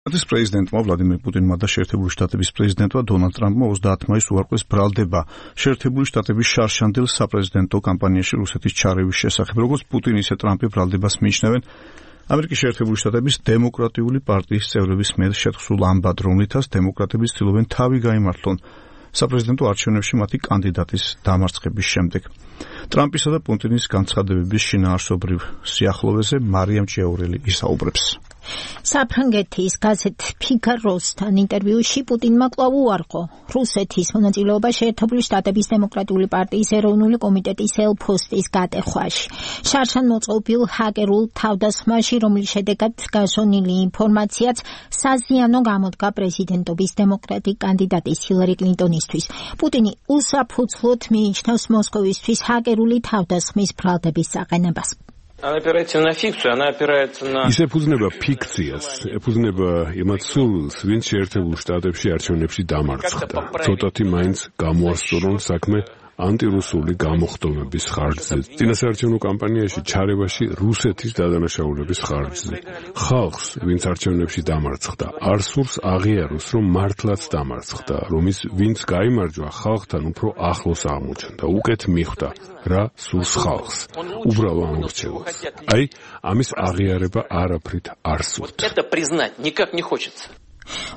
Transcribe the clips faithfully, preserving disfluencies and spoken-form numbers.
რუსეთის პრეზიდენტმა ვლადიმერ პუტინმა და შეერთებული შტატების პრეზიდენტმა დონალდ ტრამპმა ოცდაათი მაისს უარყვეს ბრალდება შეერთებული შტატების შარშანდელ საპრეზიდენტო კამპანიაში რუსეთის ჩარევის შესახებ. როგორც პუტინი, ისე ტრამპი ბრალდებას მიიჩნევენ ამერიკის შეერთებული შტატების დემოკრატიული პარტიის წევრების მიერ შეთხსულ ამბად, რომლითაც დემოკრატები ცდილობენ თავი გაიმართლონ საპრეზიდენტო არჩევნებში მათი კანდიდატის დამარცხების შემდეგ. ტრამპისა და პუტინის განცხადებების შინაარსობრივ სიახლოვეზე მარიამ ჭიაურელი ისაუბრებს. საფრანგეთის გაზეთ ფიგაროსთან ინტერვიუში პუტინმა კვლავ უარყო რუსეთის მონაწილეობა შეერთებული შტატების დემოკრატიული პარტიის ეროვნული კომიტეტის ელ-ფოსტის გატეხვაში. შარშან მოწყობილ ჰაკერულ თავდასხმაში, რომლის შედეგად გაშონილი ინფორმაციაც საზიანო გამოდგა პრეზიდენტობის დემოკრატი კანდიდატის ჰილარი კლინტონისთვის. პუტინი უსაფუძვლოდ მიიჩნევს მოსკოვისთვის ჰაკერული თავდასხმის ბრალდების საყენებას. ის ეფუძნება ფიქციას, ეფუძნება იმათ სურვილს, ვინც შეერთებულ შტატებში არჩევნებში დამარცხდა. ცოტათი მაინც გამოასწორონ საქმე ანტირუსული გამოხდომების ხარჯზე, წინასაარჩევნო კამპანიაში ჩარევაში რუსეთის დადანაშაულების ხარჯზე. ხალხს, ვინც არჩევნებში დამარცხდა, არ სურს აღიაროს, რომ მართლაც დამარცხდა, რომ ის ვინც გაიმარჯვა, ხალხთან უფრო ახლოს აღმოჩნდა, უკეთ მიხვდა რა სურს ხალხს, უბრალო ამორჩევას. აი, ამის აღიარება არაფრით არ სურთ.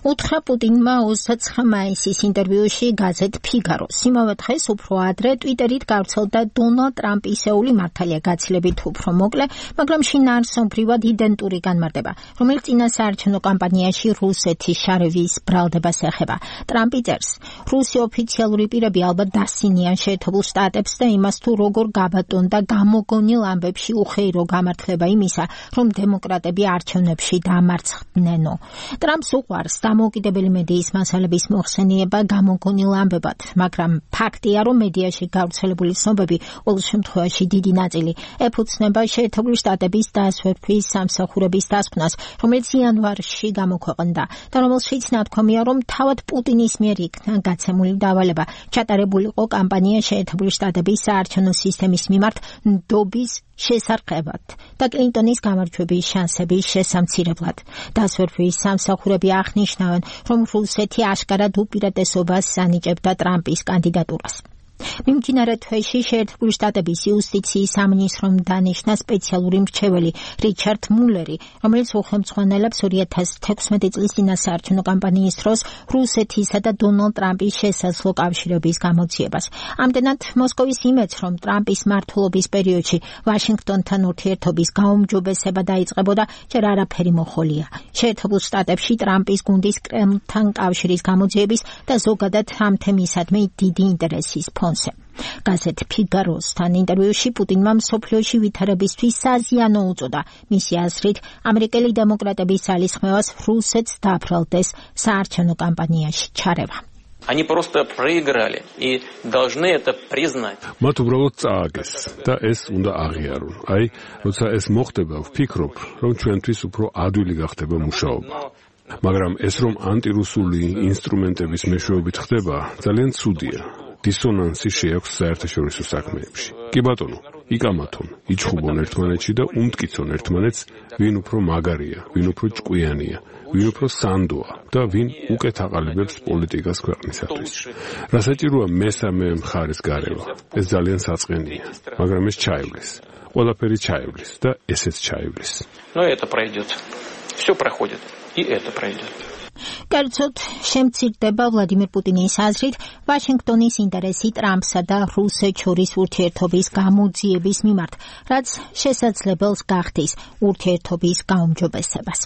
უთხრა პუტინმა ოცდაცხრა მაისის ინტერვიუში გაზეთ ფიგაროს. იმავე დღეს უფრო ადრე ტვიტერით გავრცელდა დონალდ ტრამპისეული მართალია გაცილებით უფრო მოკლე, მაგრამ შინაარსობრივად იდენტური განმარტება, რომელიც წინასაარჩევნო კამპანიაში რუსეთის შარევის ბრალდებას ეხება. ტრამპი წერს, რუსი ოფიციალური პირები ალბათ დასცინიან შეერთებულ შტატებს და იმას თუ როგორ გაბატონდა გამოგონილ ამბებში უხეირო გამართლება იმისა, რომ დემოკრატები არჩევნებში დამარცხდნენო. ტრამპს უყვარს დამოუკიდებელი მედიის მასალების მოხსენიება გამოგონილ ამბებად, მაგრამ ფაქტია, რომ მედიაში გავრცელებული ცნობები ყოველ შემთხვევაში დიდი ნაწილი ეფუძნება შეერთებული შტატების დასვერთვის სამსახურების დასკვნას, რომელიც იანვარში გამოქვეყნდა და რომელშიც ნათქვამია, რომ თავად პუტინის მიერ იქნა გაცემული დავალება ჩატარებულიყო კამპანია შეერთებული შტატების საარჩევნო სისტემის მიმართ ნდობის შესარყევად და კლინტონის გამარჯვების შანსების შესამცირებლად. დასვერთვის სამსახურები აღნიშნავენ, რომ რუსეთი აშკარად უპირატესობას ანიჭებდა ტრამპის კანდიდატურას. მიმდინარე თვეში შეერთებული შტატების იუსტიციის სამინისტრომ დანიშნა სპეციალური მრჩეველი რიჩარდ მულერი, რომელიც უხელმძღვანელებს ორი ათას თექვსმეტი წლის წინასაარჩევნო კამპანიის დროს რუსეთისა და დონალდ ტრამპის შესაძლო კავშირების გამოძიებას. ამდენად მოსკოვის იმედს, რომ ტრამპის მმართველობის პერიოდში ვაშინგტონთან ურთიერთობის გაუმჯობესება დაიწყებოდა, ჯერ არაფერი მოხოლია. შეერთებულ შტატებში ტრამპის გუნდის კრემლთან კავშირის გამოძიების და ზოგადად ამ თემისადმი დიდი ინტერესის ფონზე. გაზეთ ფიგაროსთან ინტერვიუში პუტინმა მსოფლიოში ვითარებისთვის საზიანო უწოდა. მისი აზრით, ამერიკელი დემოკრატების ძალისხმევას რუსეთს დაბრალდეს საარჩევნო კამპანიაში ჩარევა. Они просто проиграли и должны это признать. მათ უბრალოდ წააგეს და ეს უნდა აღიარონ. აი, როცა ეს მოხდება, ვფიქრობ, რომ ჩვენთვის უფრო ადვილი გახდება მუშაობა. მაგრამ ეს რომ ანტირუსული ინსტრუმენტების მეშვეობით ხდება, ძალიან ცუდია. დისონანსი შეაქვს საერთაშორისო საქმეებში. კი ბატონო, იკამათონ, იჩხუბონ ერთმანეთში და უმტკიცონ ერთმანეთს, ვინ უფრო მაგარია, ვინ უფრო ჭკვიანია, ვინ უფრო სანდოა და ვინ უკეთ აყალიბებს პოლიტიკას ქვეყნისათვის. რა საჭიროა მესამე მხარეს გარევა? ეს ძალიან საწყენია, მაგრამ ეს ჩაივლის. ყველაფერი ჩაივლის და ესეც ჩაივლის. Но это пройдет. Всё проходит, и это пройдет. კერძოდ, შემცირდება ვლადიმერ პუტინის აზრით ვაშინგტონის ინტერესი ტრამპსა და რუსეთს შორის ურთიერთობის გამოძიების მიმართ, რაც შესაძლებელს გახდის ურთიერთობის გაუმჯობესებას.